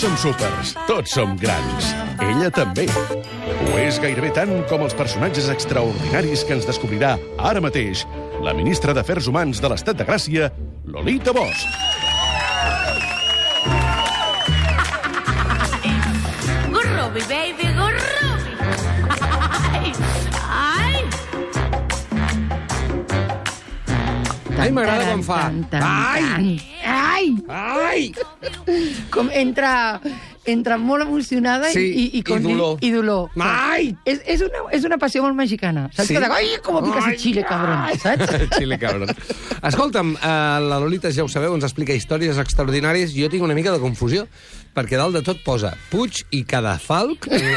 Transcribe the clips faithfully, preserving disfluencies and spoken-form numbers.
som súpers, tots som grans. Ella també. Ho és gairebé tant com els personatges extraordinaris que ens descobrirà ara mateix la ministra d'Afers Humans de l'Estat de Gràcia, Lolita Bosch. Gurrubi, baby, gurrubi. Ai, ai. Ai, m'agrada com fa. Ai! Ai! Ai! Com entra, entra molt emocionada Sí, i, i, i dolor. I dolor. Ai! És, és, una, és una passió molt mexicana. Saps? Sí? Que de, ai, com picas el chile, cabrón. Saps? Xile, cabron. Escolta'm, eh, la Lolita, ja ho sabeu, ens explica històries extraordinàries. Jo tinc una mica de confusió, perquè dalt de tot posa Puig i Cadafalch en,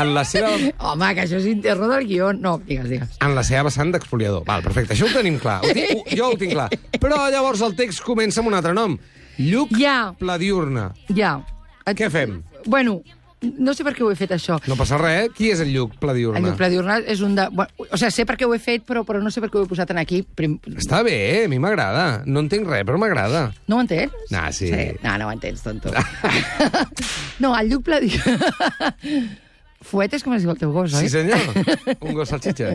en la seva... Home, que això és interno del guió. No, digues, digues. En la seva vessant d'expoliador. Val, perfecte, això ho tenim clar. Ho tinc, ho, jo ho tinc clar. Però llavors el text comença amb un altre nom. Lluc Ja. Pladiurna. Ja. Què fem? Bueno, no sé per què ho he fet, això. No passa res, eh? Qui és el Lluc Pladiurna? El Lluc Pladiurna és un de... Bueno, o sigui, sé per què ho he fet, però, però no sé per què ho he posat en aquí. Prim... Està bé, a mi m'agrada. No entenc res, però m'agrada. No ho entens? Nah, sí. No, no ho entens, tonto. No, el Lluc Pladiurna... Fuet és com es diu el teu gos, oi? Sí, senyor. Un gos salxitxa.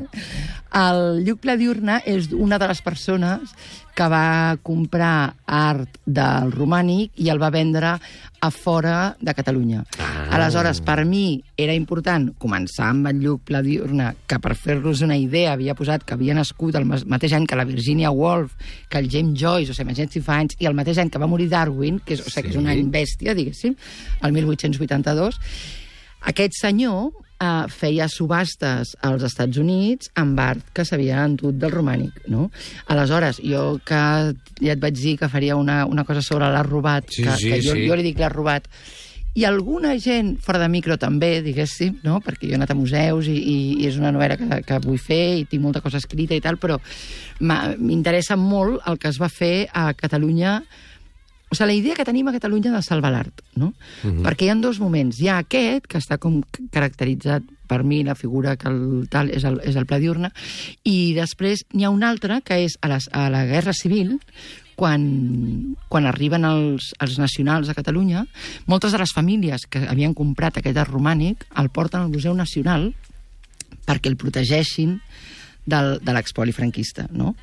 El Lluc Pladiurna és una de les persones que va comprar art del romànic i el va vendre a fora de Catalunya. Ah. Aleshores, per mi era important començar amb el Lluc Pladiurna, que per fer-los una idea havia posat que havia nascut el mateix any que la Virginia Woolf, que el James Joyce, o sigui, més anys i fa anys, i el mateix any que va morir Darwin, que és, o sigui, que és un any bèstia, diguéssim, el mil vuit-cents vuitanta-dos. Aquest senyor eh, feia subhastes als Estats Units amb art que s'havia endut del romànic, no? Aleshores, jo que ja et vaig dir que faria una, una cosa sobre l'art robat, Sí, que, sí, que jo, sí. jo li dic l'art robat, i alguna gent fora de micro també, diguéssim, no? Perquè jo he anat a museus i, i, i és una novel·la que, que vull fer i tinc molta cosa escrita i tal, però m'interessa molt el que es va fer a Catalunya. O sigui, la idea que tenim a Catalunya de salvar l'art, no? Uh-huh. Perquè hi ha dos moments. Hi ha aquest, que està com caracteritzat per mi, la figura que el tal és el, és el Pladiurna, i després n'hi ha un altre, que és a, les, a la Guerra Civil, quan, quan arriben els, els nacionals a Catalunya, moltes de les famílies que havien comprat aquest art romànic el porten al Museu Nacional perquè el protegeixin del, de l'expoli franquista, no?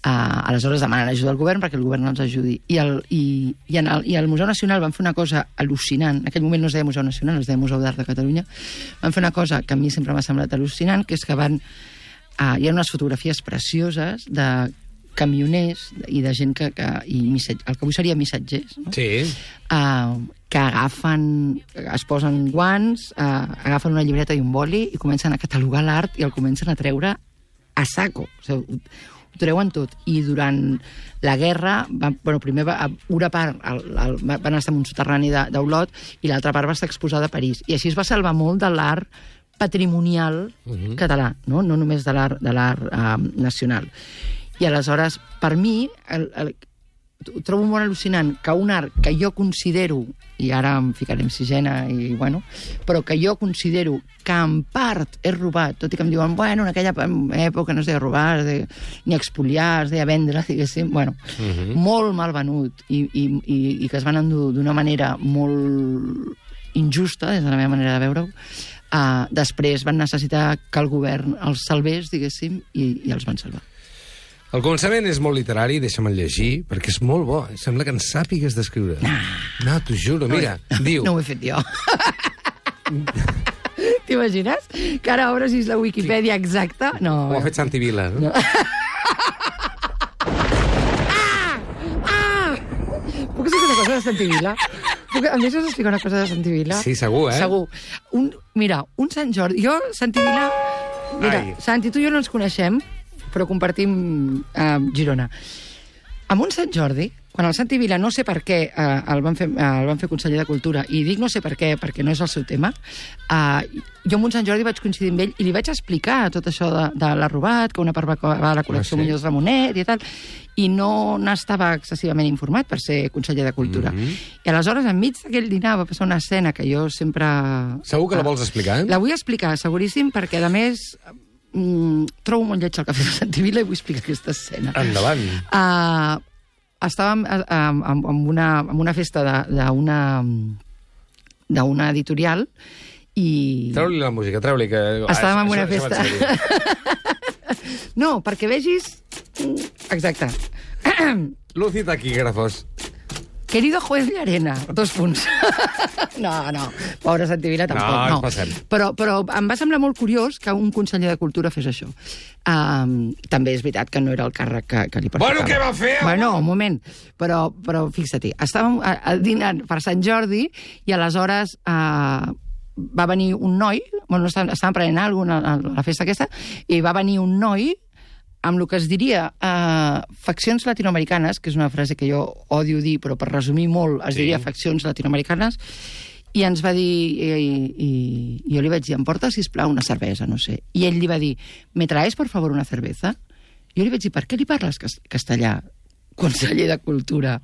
Uh, aleshores demanen ajuda al govern perquè el govern els ajudi. I, el, i, i, en el, I al Museu Nacional van fer una cosa al·lucinant. En aquell moment no es deia Museu Nacional, es deia Museu d'Art de Catalunya. Van fer una cosa que a mi sempre m'ha semblat al·lucinant, que és que van... Uh, hi ha unes fotografies precioses de camioners i de gent que... que i missatge, el que avui seria missatgers, no? Sí. Uh, que agafen, es posen guants, uh, agafen una llibreta i un boli i comencen a catalogar l'art i el comencen a treure a saco, o sigui, ho, ho treuen tot. I durant la guerra, va, bueno, primer va, una part el, el, van estar en un soterrani d'Olot i l'altra part va estar exposada a París. I així es va salvar molt de l'art patrimonial uh-huh. català, no, no només de l'art de l'art uh, nacional. I aleshores, per mi, el, el, ho trobo molt al·lucinant que un art que jo considero, i ara em ficaré en sisena, i, bueno, però que jo considero que en part és robat, tot i que em diuen, bueno, en aquella època no es deia robar, es deia, ni expoliar, es deia vendre, diguéssim, bueno, uh-huh. molt mal venut, i, i, i, i que es van endur d'una manera molt injusta, des de la meva manera de veure-ho. Uh, després van necessitar que el govern els salvés, diguéssim, i, i els van salvar. El començament és molt literari, deixa'm llegir, perquè és molt bo. Sembla que en sàpigues d'escriure. No, t'ho juro, mira, no, diu... No ho he fet jo. T'imagines? Que ara obres la Wikipedia exacta? No. Ho ha fet Santi Vila, no? no. Ah! Ah! Puc explicar una cosa de Santi Vila? Puc... Em deixes explicar una cosa de Santi Vila? Sí, segur, eh? Segur. Un... Mira, un Sant Jordi... Jo, Santi Vila... Mira, Ai. Santi, tu i jo no ens coneixem, però compartim uh, Girona. Amb un Sant Jordi, quan el Santi Vila, no sé per què, uh, el, van fer, uh, el van fer conseller de Cultura, i dic no sé per què, perquè no és el seu tema, uh, jo amb un Sant Jordi vaig coincidir amb ell i li vaig explicar tot això de, de l'art robat, que una part va a la col·lecció ah, sí? Muñoz Ramonet i tal, i no n'estava excessivament informat per ser conseller de Cultura. Mm-hmm. I aleshores, enmig d'aquell dinar, va passar una escena que jo sempre... Segur que la vols explicar, eh? La vull explicar, seguríssim, perquè, a més... Mm, trobo molt lleig el cafè de Santi Vila i vull explicar aquesta escena. Endavant. Uh, estàvem uh, amb, amb, una, amb una festa d'una d'una editorial i... Treu-li la música, treu-li, que... Estàvem en Ah, una això- això festa. va No, perquè vegis... Exacte. Luci taquígrafos. Querido juez Llarena, dos punts. No, no, pobra Santivila tampoc, No, no. ens passem. Però, però em va semblar molt curiós que un conseller de Cultura fes això. Um, també és veritat que no era el càrrec que, que li pertocava. Bueno, què va fer? Bueno, un moment. Però, però fixa't, estàvem a, a dinant per Sant Jordi i aleshores uh, va venir un noi, bueno, estàvem, estàvem prenent alguna cosa a la festa aquesta, i va venir un noi amb el que es diria uh, faccions latinoamericanes, que és una frase que jo odio dir, però per resumir molt es Sí. diria faccions latinoamericanes, i ens va dir, i, i, i jo li vaig dir, em porta, sisplau, una cervesa, no sé. I ell li va dir, ¿me traes, por favor, una cerveza? Jo li vaig dir, per què li parles cas- castellà, conseller de Cultura,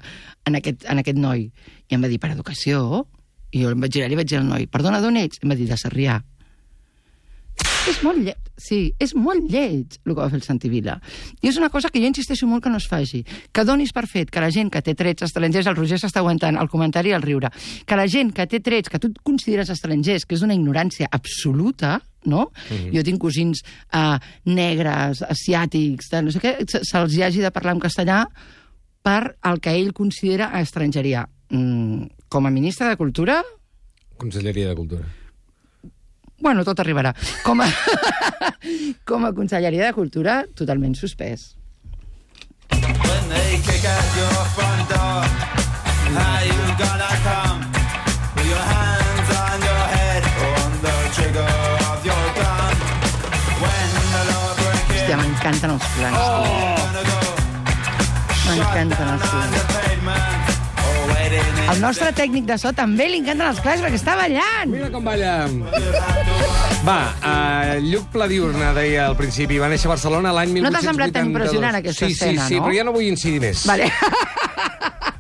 en aquest, en aquest noi? I em va dir, per educació. I jo em vaig girar i li vaig dir al noi, perdona, d'on ets? Em va dir, de Sarrià. És molt lleig, sí, és molt lleig el que va fer el Santivila. I és una cosa que jo insisteixo molt que no es faci. Que donis per fet que la gent que té trets estrangers, el Roger s'està aguantant el comentari i el riure, que la gent que té trets que tu et consideres estrangers, que és una ignorància absoluta, no? Mm-hmm. Jo tinc cosins uh, negres, asiàtics, de no sé què, se- se'ls hi hagi de parlar en castellà per el que ell considera estrangeria. Mm, com a ministre de Cultura... Conselleria de Cultura. Bueno, tot arribarà. Com a, com a Conselleria de Cultura, totalment suspès. When they kick at your front door, how you gonna come? With your hands on your head, on the trigger of your gun. When the law breaks Hòstia, in, m'encanten els plans. gonna go M'encanten els on plans. the pavement, or waiting in Al nostre tècnic de so també li encanten els plans perquè està ballant. Mira com balla. Va, uh, Lluc Pladiurna deia al principi, va néixer a Barcelona l'any mil No vuit-cents t'ha vuitanta-dos. semblat tan impressionant, aquesta sí, escena, sí, sí, no? però ja no vull incidir més. Vale.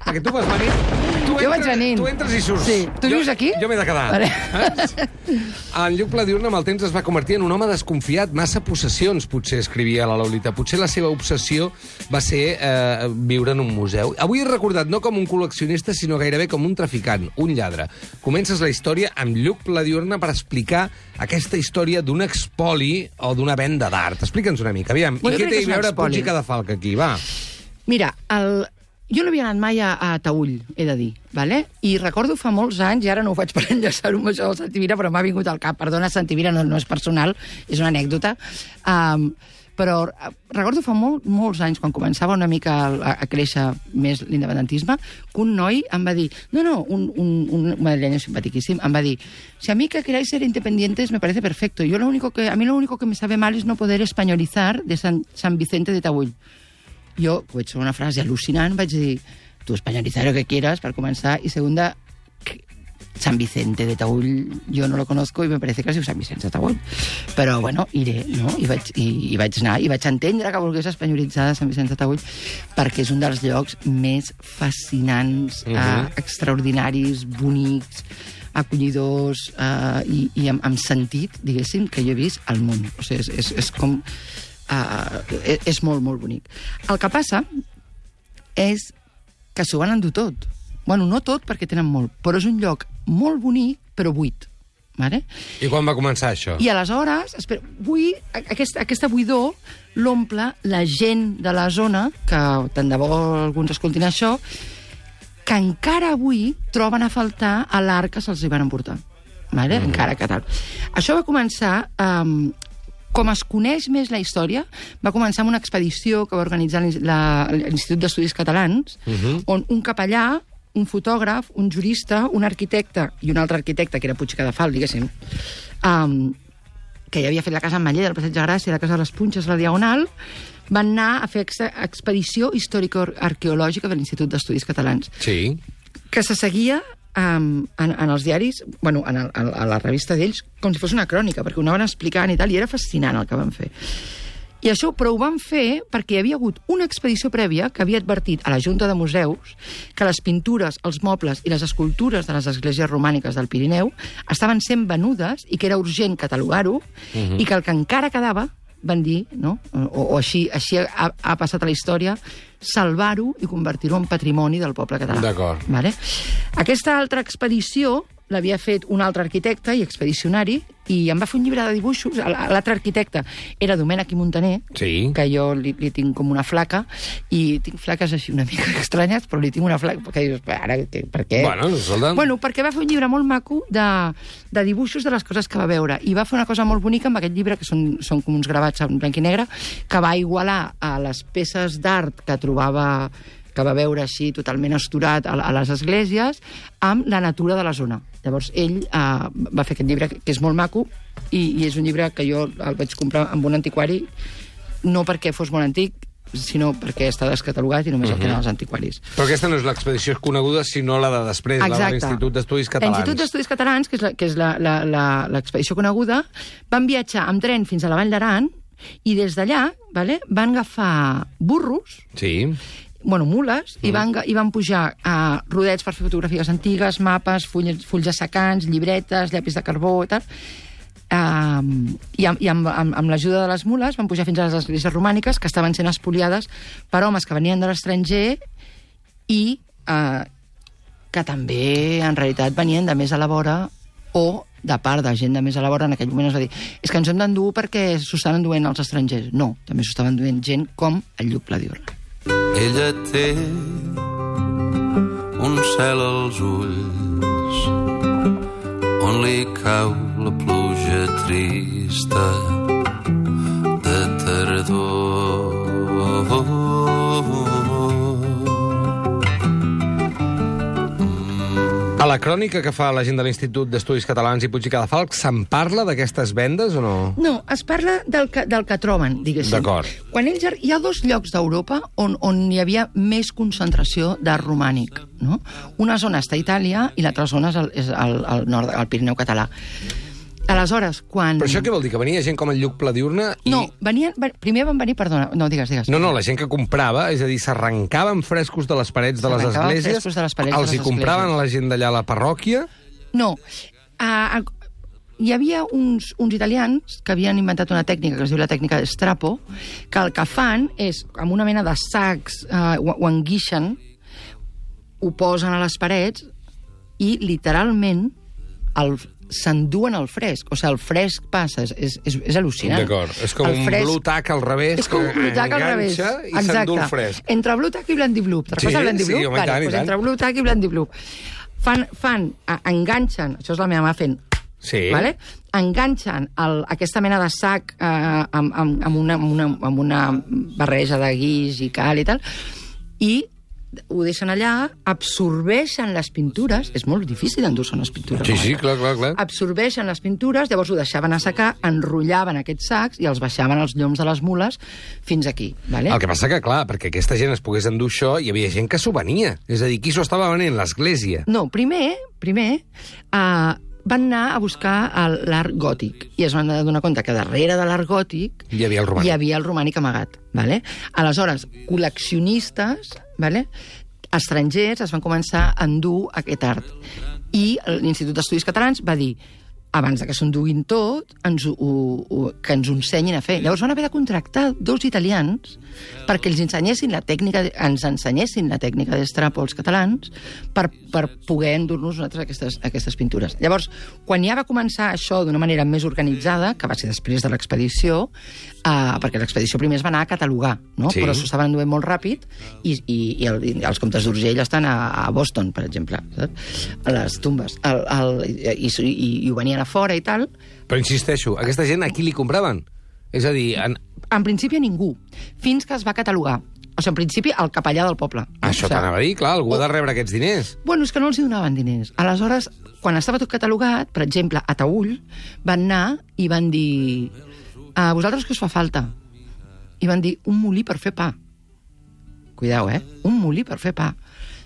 Perquè tu vas venir... Tu Jo vaig venint. Tu entres i surts. Sí. Tu jo, vius aquí? Jo m'he de quedar. Vale. Eh? En Lluc Pladiurna amb el temps es va convertir en un home desconfiat, massa possessions, potser escrivia la Lolita. Potser la seva obsessió va ser eh, viure en un museu. Avui és recordat no com un col·leccionista, sinó gairebé com un traficant, un lladre. Comences la història amb Lluc Pladiurna per explicar aquesta història d'un expoli o d'una venda d'art. Explica'ns una mica, aviam. Bueno, I què crec té que a és un veure expoli. Puig i Cadafalc aquí, va? Mira, el... jo no havia anat mai a, a Taüll, he de dir, vale? I recordo fa molts anys, i ara no ho faig per enllaçar-ho amb això del Santivira, però m'ha vingut al cap. Perdona, Santivira, no, no és personal, és una anècdota. Um, però eh, recordo fa molt, molts anys, quan començava una mica a, a créixer més l'independentisme, que un noi em va dir, no, no, un, un, un madrileño simpatiquíssim, em va dir, si a mí que queráis ser independientes me parece perfecto. Yo lo único que, a mí lo único que me sabe mal es no poder españolizar de San, San Vicente de Taüll. Jo, vaig fer una frase al·lucinant, vaig dir, tu españolizar lo que quieras, per començar, i segunda, San Vicente de Taüll, yo no lo conozco y me parece que es diu San Vicente de Taüll. Però, bueno, iré, no? I vaig, i, i vaig anar, i vaig entendre que volgués espanyolitzar San Vicente de Taüll, perquè és un dels llocs més fascinants, Mhm. eh, extraordinaris, bonics, acollidors eh, i, i amb, amb sentit, diguéssim, que jo he vist al món. O sigui, és, és, és com... Uh, és molt, molt bonic. El que passa és que s'ho van endur tot. Bueno, no tot, perquè tenen molt, però és un lloc molt bonic, però buit. Vale? I quan va començar això? I aleshores, espera, vull, aquesta, aquesta buidor l'omple la gent de la zona, que tant de bo alguns escoltin això, que encara avui troben a faltar a l'art que se'ls hi van emportar. Vale? Mm. Encara que tal. Això va començar... Um, com es coneix més la història, va començar amb una expedició que va organitzar l'Institut d'Estudis Catalans, Uh-huh. on un capellà, un fotògraf, un jurista, un arquitecte i un altre arquitecte, que era Puig i Cadafalc, diguéssim, um, que ja havia fet la casa en Maller, del Passeig de Gràcia, la casa de les Punxes, la Diagonal, van anar a fer ex expedició històrico-arqueològica de l'Institut d'Estudis Catalans, Sí. que se seguia um, en, en els diaris, bueno, en el, a la revista d'ells, com si fos una crònica, perquè ho anaven explicant i tal, i era fascinant el que van fer. I això, però ho van fer perquè hi havia hagut una expedició prèvia que havia advertit a la Junta de Museus que les pintures, els mobles i les escultures de les esglésies romàniques del Pirineu estaven sent venudes i que era urgent catalogar-ho, uh-huh. i que el que encara quedava, van dir, no? o, o així, així ha, ha passat a la història, salvar-ho i convertir-ho en patrimoni del poble català. D'acord. Vale? Aquesta altra expedició l'havia fet un altre arquitecte i expedicionari, i em va fer un llibre de dibuixos. L'altre arquitecte era Domènech i Montaner, Sí. que jo li, li tinc com una flaca, i tinc flaques així una mica estranyes, però li tinc una flaca, perquè dius, ara, per què? Bueno, escolta. Bueno, perquè va fer un llibre molt maco de, de dibuixos de les coses que va veure, i va fer una cosa molt bonica amb aquest llibre, que són, són com uns gravats en blanc i negre, que va igualar a les peces d'art que trobava, que va veure així totalment esturat a, a les esglésies, amb la natura de la zona. Llavors, ell eh, va fer aquest llibre, que és molt maco, i, i és un llibre que jo el vaig comprar amb un antiquari, no perquè fos molt antic, sinó perquè està descatalogat i només uh -huh. el tenen els antiquaris. Però aquesta no és l'expedició coneguda, sinó la de després, Exacte. la de l'Institut d'Estudis Catalans. L'Institut d'Estudis Catalans, que és la- que és la- la- la- l'expedició coneguda, van viatjar amb tren fins a la Vall d'Aran, i des d'allà, vale, van agafar burros, Sí. bueno, mules, mm. i, van, i van pujar a rodets per fer fotografies antigues, mapes, fulls, fulls assecants, llibretes, llapis de carbó i tal. Um, I, amb, i amb, amb, amb l'ajuda de les mules van pujar fins a les esglésies romàniques, que estaven sent espoliades per homes que venien de l'estranger i uh, que també, en realitat, venien de més a la vora, o de part de gent de més a la vora. En aquell moment es va dir, és que ens hem d'endur perquè s'ho estan enduent els estrangers. No, també s'ho estaven enduent gent com el Lluc Pladiurna. Ella té un cel als ulls on li cau la pluja trista de tardor. A la crònica que fa la gent de l'Institut d'Estudis Catalans i Puig i Cadafalch, se'n parla d'aquestes vendes o no? No, es parla del que, del que troben, diguéssim. D'acord. Quan ells, hi ha dos llocs d'Europa on, on hi havia més concentració d'art romànic, no? Una zona està a Itàlia i l'altra zona és el, és el, el nord, el Pirineu català. Aleshores, quan... Però això què vol dir? Que venia gent com el Lluc Pladiurna i... No, venien, primer van venir, perdona, no, digues, digues. No, no, la gent que comprava, és a dir, s'arrencaven frescos de les parets de les S'arrencaven esglésies, frescos de les parets de els les hi compraven esglésies. a la gent d'allà a la parròquia... No, uh, uh, hi havia uns, uns italians que havien inventat una tècnica que es diu la tècnica d'Estrapo, que el que fan és, amb una mena de sacs, uh, ho, ho enguixen, ho posen a les parets i, literalment, el s'enduen el fresc. O sigui, el fresc passa, és, és, és, és al·lucinant. D'acord, és com El un fresc- blue tack al revés, És com un blue tack al revés. enganxa i s'endú el fresc. Entre blue tack i blandy blue. Te'n Sí, recordes el blandy sí, blue? home, i tant, i doncs tant. entre blue tack i blandy blue. Fan, fan, a, enganxen, això és la meva mà fent, Sí. vale? Enganxen el, aquesta mena de sac eh, amb, amb, amb, una, amb, una, amb una barreja de guix i cal i tal, i ho deixen allà, absorbeixen les pintures, és molt difícil endur-se unes pintures. Sí, com sí, aquestes. clar, clar, clar. Absorbeixen les pintures, llavors ho deixaven a secar, enrotllaven aquests sacs i els baixaven als lloms de les mules fins aquí. Vale? El que passa que, clar, perquè aquesta gent es pogués endur això, hi havia gent que s'ho venia. És a dir, qui s'ho estava venent? L'església. No, primer, primer, uh, van anar a buscar el- l'art gòtic i es van donar compte que darrere de l'art gòtic Hi havia el romànic. hi havia el romànic amagat. Vale? Aleshores, col·leccionistes, vale? estrangers, es van començar a endur aquest art. I l'Institut d'Estudis Catalans va dir, abans de que s'enduguin tot, ens ho, ho, que ens ho ensenyin a fer. Llavors van haver de contractar dos italians perquè els ensenyessin la tècnica, ens ensenyessin la tècnica d'Estrapo als catalans per, per poder endur-nos nosaltres aquestes, aquestes pintures. Llavors, quan ja va començar això d'una manera més organitzada, que va ser després de l'expedició, eh, perquè l'expedició primer es va anar a catalogar, no? Sí. Però s'ho estaven enduent molt ràpid i, i, i, el, i els comtes d'Urgell estan a, a Boston, per exemple, saps? A les tumbes. El, el, i, i, I ho venien a fora i tal. Però insisteixo, aquesta gent a qui li compraven? És a dir, en... En principi a ningú, fins que es va catalogar. O sigui, en principi al capellà del poble. això O sigui, t'anava a dir, clar, algú ha de rebre aquests diners. Bueno, és que no els hi donaven diners. Aleshores, quan estava tot catalogat, per exemple, a Taüll, van anar i van dir, a vosaltres què us fa falta? I van dir, un molí per fer pa. Cuidao, eh? Un molí per fer pa.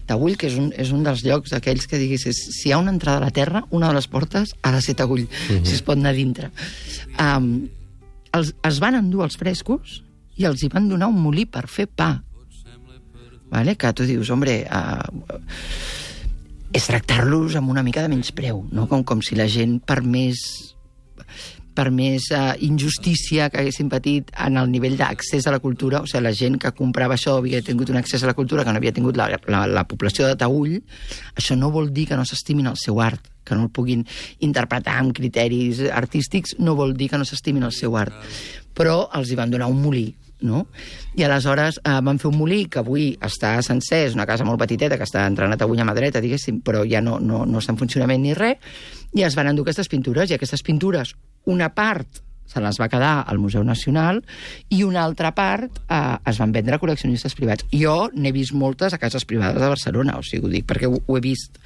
Taüll, que és un, és un dels llocs aquells que diguis, si hi ha una entrada a la terra, una de les portes ha de ser Taüll, mm-hmm. si es pot anar a dintre. Um, els, es van endur els frescos i els hi van donar un molí per fer pa. Vale? Que tu dius, hombre, uh, és tractar-los amb una mica de menyspreu, no? Com, com si la gent, per més per més uh, injustícia que haguessin patit en el nivell d'accés a la cultura, o sigui, la gent que comprava això havia tingut un accés a la cultura que no havia tingut la, la, la població de Taüll, això no vol dir que no s'estimin el seu art, que no el puguin interpretar amb criteris artístics no vol dir que no s'estimin el seu art. Però els hi van donar un molí, no? I aleshores eh, van fer un molí que avui està sencer, és una casa molt petiteta que està entrenat avui a mà dreta, diguéssim, però ja no, no, no està en funcionament ni res, i es van endur aquestes pintures, i aquestes pintures, una part se les va quedar al Museu Nacional i una altra part eh, es van vendre a col·leccionistes privats. Jo n'he vist moltes a cases privades de Barcelona, o sigui, ho dic perquè ho, ho he vist.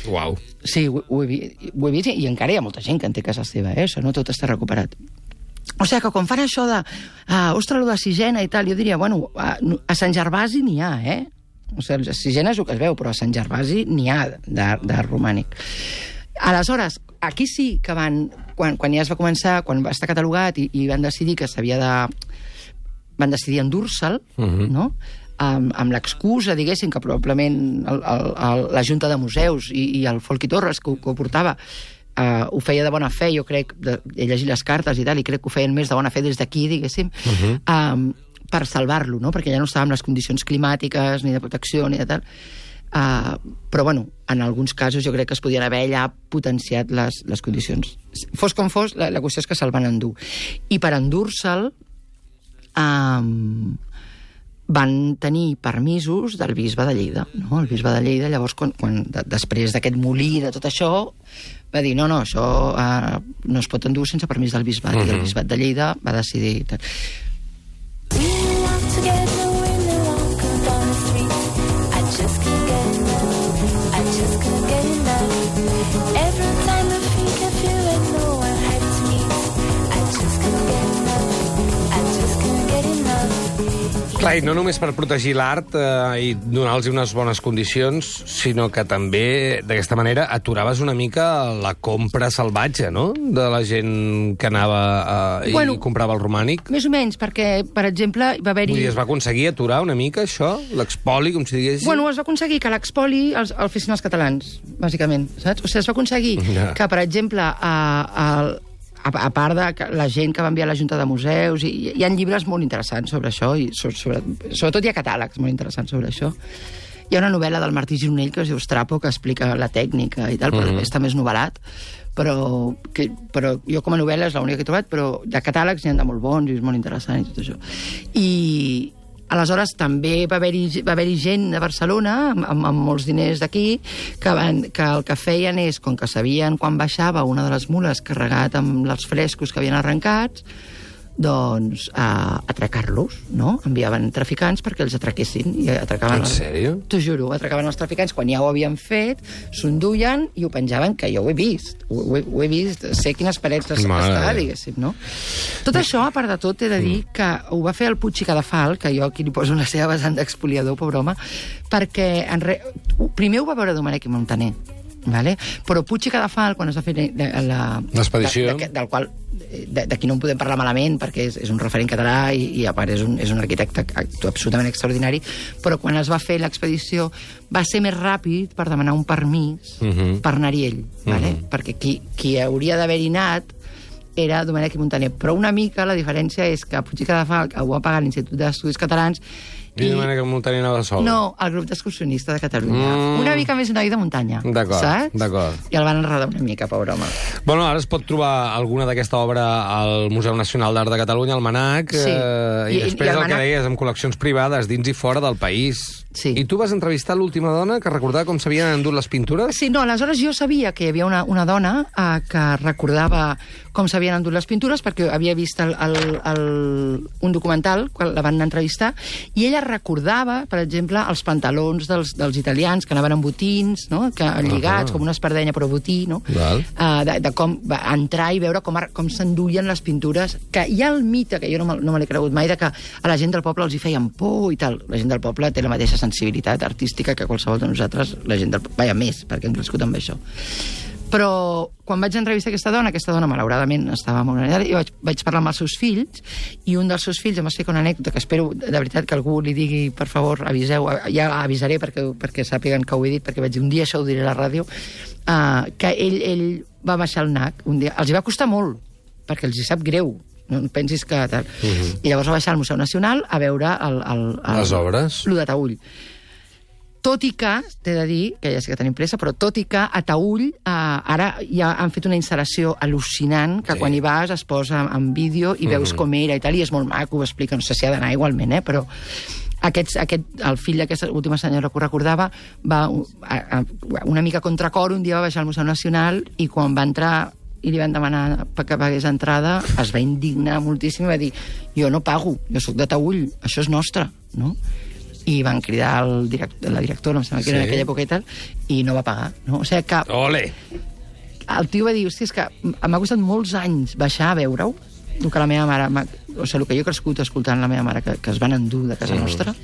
Uau. Sí, ho, ho, he, vi- ho he vist, i encara hi ha molta gent que en té casa seva, eh? Això no tot està recuperat. O sigui que quan fan això de, uh, ostres, lo de Sisena i tal, jo diria, bueno, a, a Sant Gervasi n'hi ha, eh? O sigui, a Sisena és el que es veu, però a Sant Gervasi n'hi ha d'art romànic. Aleshores, aquí sí que van, quan, quan ja es va començar, quan va estar catalogat i, i van decidir que s'havia de... van decidir endur-se'l, uh-huh. no?, amb, amb l'excusa, diguéssim, que probablement el, el, el, la Junta de Museus i, i el Folqui Torres, que, que ho portava, Uh, ho feia de bona fe, jo crec, de, he llegit les cartes i tal, i crec que ho feien més de bona fe des d'aquí, diguéssim, uh-huh. um, per salvar-lo, no? Perquè ja no estava en les condicions climàtiques, ni de protecció, ni de tal. Uh, però, bueno, en alguns casos jo crec que es podien haver ja potenciat les, les condicions. Fos com fos, la, la qüestió és que se'l van endur. I per endur-se'l um, van tenir permisos del bisbe de Lleida, no? El bisbe de Lleida, llavors, quan, quan de, després d'aquest molí, de tot això, va dir, no, no, això uh, no es pot endur sense permís del bisbat, uh-huh. i el bisbat de Lleida va decidir... Tal. Clar, i no només per protegir l'art eh, i donar-los unes bones condicions, sinó que també, d'aquesta manera, aturaves una mica la compra salvatge, no?, de la gent que anava eh, bueno, i comprava el romànic. Més o menys, perquè, per exemple, va haver-hi... Vull dir, es va aconseguir aturar una mica això? L'expoli, com si diguéssim? Bueno, es va aconseguir que l'expoli el, el fessin els catalans, bàsicament, saps? O sigui, es va aconseguir ja. que, per exemple, a, a, a, a part de que la gent que va enviar a la Junta de Museus, i, hi ha llibres molt interessants sobre això, i sobre, sobre, sobretot hi ha catàlegs molt interessants sobre això. Hi ha una novel·la del Martí Gironell que es diu Strapo, que explica la tècnica i tal, però uh-huh. està més novel·lat, però, que, però jo com a novel·la és l'única que he trobat, però de catàlegs n'hi ha de molt bons i és molt interessant i tot això. I aleshores també va haver-hi va haver-hi gent a Barcelona amb, amb, amb molts diners d'aquí que, van, que el que feien és, com que sabien quan baixava una de les mules carregat amb els frescos que havien arrencats, doncs a atracar-los, no? Enviaven traficants perquè els atraquessin. I atracaven en sèrio? T'ho juro, atracaven els traficants quan ja ho havien fet, s'enduien i ho penjaven, que jo ho he vist. Ho, ho, he, ho he vist, sé quines parets està, diguéssim, no? Tot això, a part de tot, he de dir que ho va fer el Puig i Cadafal, que jo aquí li poso una seva vessant d'expoliador, pobre home, perquè en re... primer ho va veure Domènech i Montaner, vale? Però Puig i Cadafal, quan es va fer l'expedició, de, de, del qual d'aquí no en podem parlar malament perquè és, és un referent català i, i a part és un, és un arquitecte absolutament extraordinari, però quan es va fer l'expedició va ser més ràpid per demanar un permís uh-huh. per anar-hi ell, vale? uh-huh. perquè qui, qui hauria d'haver-hi anat era Domènech i Montaner, però una mica la diferència és que Puig i Cadafal ho va pagar l'Institut d'Estudis Catalans i Domènech i Montaner anava sol. No, el grup d'excursionista de Catalunya. Mm. Una mica més noi de muntanya. D'acord, saps? d'acord. I el van enredar una mica, pobre home. Bueno, ara es pot trobar alguna d'aquesta obra al Museu Nacional d'Art de Catalunya, al Manac, sí. eh, i, I després i el, el Manac... que deies, amb col·leccions privades dins i fora del país. Sí. I tu vas entrevistar l'última dona que recordava com s'havien endut les pintures? Sí, no, aleshores jo sabia que hi havia una, una dona eh, que recordava com s'havien endut les pintures, perquè havia vist el, el, el, un documental, quan la van entrevistar, i ella recordava, per exemple, els pantalons dels, dels italians, que anaven amb botins, no? Que lligats, uh-huh. com una espardenya, però botí, no? Uh, de, de com entrar i veure com, com s'enduien les pintures, que hi ha el mite, que jo no me, no me l'he cregut mai, de que a la gent del poble els hi feien por i tal. La gent del poble té la mateixa sensibilitat artística que qualsevol de nosaltres, la gent del poble, vaja, més, perquè hem crescut amb això. Però quan vaig entrevistar aquesta dona, aquesta dona malauradament estava molt enllà, i vaig, vaig parlar amb els seus fills, i un dels seus fills em va explicar una anècdota que espero de veritat que algú li digui, per favor, aviseu, ja avisaré perquè, perquè sàpiguen que ho he dit, perquè vaig dir, un dia això ho diré a la ràdio, uh, que ell, ell va baixar al N A C, un dia, els hi va costar molt, perquè els hi sap greu, no pensis que tal. Uh-huh. I llavors va baixar al Museu Nacional a veure el, el, el, les obres. Lo de Taüll. tot i que, t'he de dir, que ja sé que tenim pressa, però tot i que a Taüll eh, ara ja han fet una instal·lació al·lucinant, que Sí. sí. quan hi vas es posa en vídeo i veus Mhm. com era i tal, i és molt maco, ho explica, no sé si ha d'anar igualment, eh, però aquests, aquest, el fill d'aquesta última senyora que ho recordava va a, a, una mica contra cor, un dia va baixar al Museu Nacional i quan va entrar i li van demanar que pagués entrada, es va indignar moltíssim i va dir, jo no pago, jo sóc de Taüll, això és nostre, no? I van cridar el director, la directora, em sembla que era Sí. en aquella època i tal, i no va pagar, no? O sigui que Ole! el tio va dir, hòstia, és que m'ha costat molts anys baixar a veure-ho, el que la meva mare, m'ha- o sigui, el que jo he crescut escoltant la meva mare, que, que es van endur de casa Mm. nostra,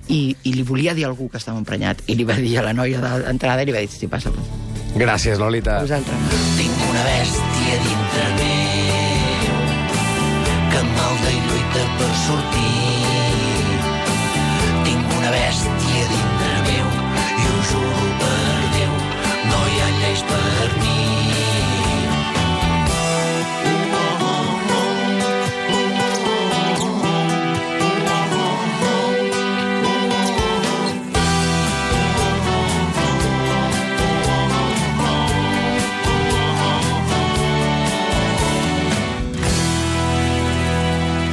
i, i li volia dir a algú que estava emprenyat, i li va dir a la noia d'entrada, i li va dir, sí, passa, Gràcies, Lolita. a vosaltres. Tinc una bèstia dintre meu que malda i lluita per sortir.